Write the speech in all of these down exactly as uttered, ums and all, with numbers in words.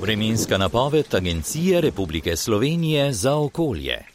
Vremenska napoved Agencije Republike Slovenije za okolje.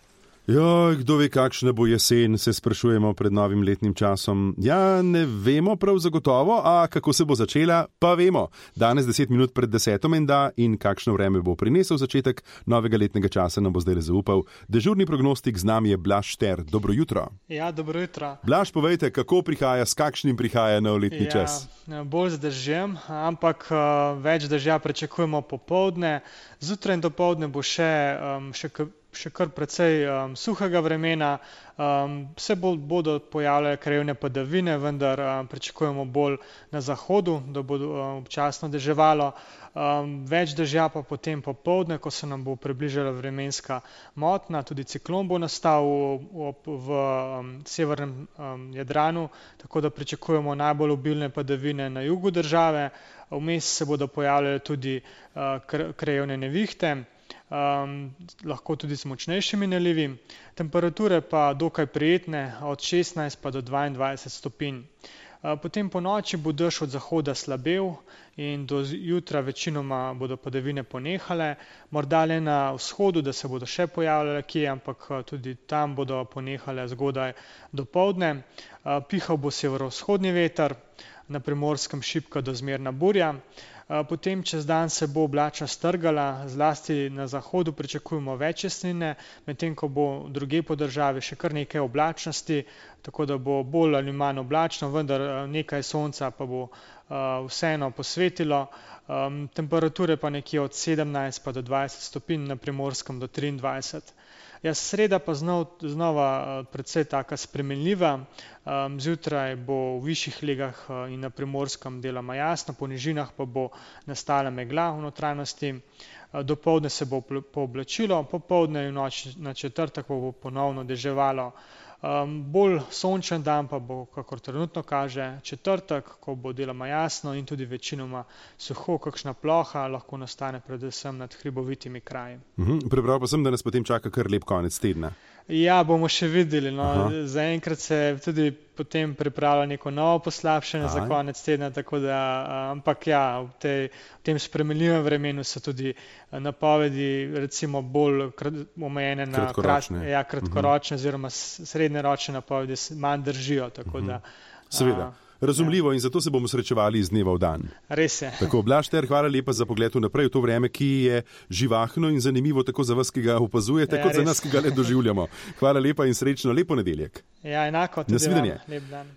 Joj, kdo ve, kakšna bo jesen, se sprašujemo pred novim letnim časom. Ja, ne vemo prav zagotovo, a kako se bo začela, pa vemo. Danes deset minut pred deseto menda in kakšno vreme bo prinesel začetek novega letnega časa, nam bo zdaj zaupal dežurni prognostik, z nami je Blaž Šter. Dobro jutro. Ja, dobro jutro. Blaž, povejte, kako prihaja, s kakšnim prihaja nov letni ja, čas? Bolj z dežjem, ampak uh, več dežja pričakujemo popoldne. Zjutraj in dopoldne bo še, um, še še kar precej um, suhega vremena, um, se bo, bodo pojavljale krajevne padavine, vendar um, pričakujemo bolj na zahodu, da bo um, občasno deževalo. Um, več dežja pa potem popoldne, ko se nam bo približala vremenska motnja, tudi ciklon bo nastal v, v, v um, severnem um, Jadranu, tako da pričakujemo najbolj obilne padavine na jugu države. Vmes se bodo pojavljale tudi uh, krajevne nevihte. Um, lahko tudi z močnejšimi nalivi, temperature pa dokaj prijetne, od šestnajst pa do dvaindvajset stopinj. Uh, potem po noči bo dež od zahoda slabel in do jutra večinoma bodo padavine ponehale, morda le na vzhodu, da se bodo še pojavljale kje, ampak tudi tam bodo ponehale zgodaj dopoldne. Uh, pihal bo severovzhodni veter, na Primorskem šibka do zmerna burja. Potem čez dan se bo oblačnost strgala, zlasti na zahodu pričakujemo več jasnine, medtem ko bo drugje po državi še kar nekaj oblačnosti, tako da bo bolj ali manj oblačno, vendar nekaj sonca pa bo vseeno posvetilo. Temperature pa nekje od sedemnajst pa do dvajset stopinj, na Primorskem do triindvajset. Ja, sreda pa znov, znova precej taka spremenljiva. Zjutraj bo v višjih legah in na Primorskem deloma jasno, po nižinah pa bo nastala megla v notranjosti. Dopoldne se bo pooblačilo, popoldne in noč na četrtek pa bo ponovno deževalo. Um, bolj sončen dan pa bo, kakor trenutno kaže, četrtek, ko bo deloma jasno in tudi večinoma suho, kakšna ploha lahko nastane predvsem nad hribovitimi kraji. Uhum, prebral pa sem, da nas potem čaka kar lep konec tedna. Ja, bomo še videli. No. Zaenkrat se tudi potem pripravlja neko novo poslabšanje za konec tedna, tako da, ampak ja, v, tej, v tem spremenljivem vremenu so tudi napovedi recimo bolj omejene na kratkoročne, krat, ja, kratkoročne oziroma srednjeročne napovedi manj držijo. Tako da, seveda. Razumljivo, in zato se bomo srečevali iz dneva v dan. Res je. Tako, Blaž Šter, hvala lepa za pogled vnaprej v to vreme, ki je živahno in zanimivo tako za vas, ki ga opazujete, ja, kot res. Za nas, ki ga le doživljamo. Hvala lepa in srečno, lepo nedeljek. Ja, enako. Nasvidenje. Lep dan.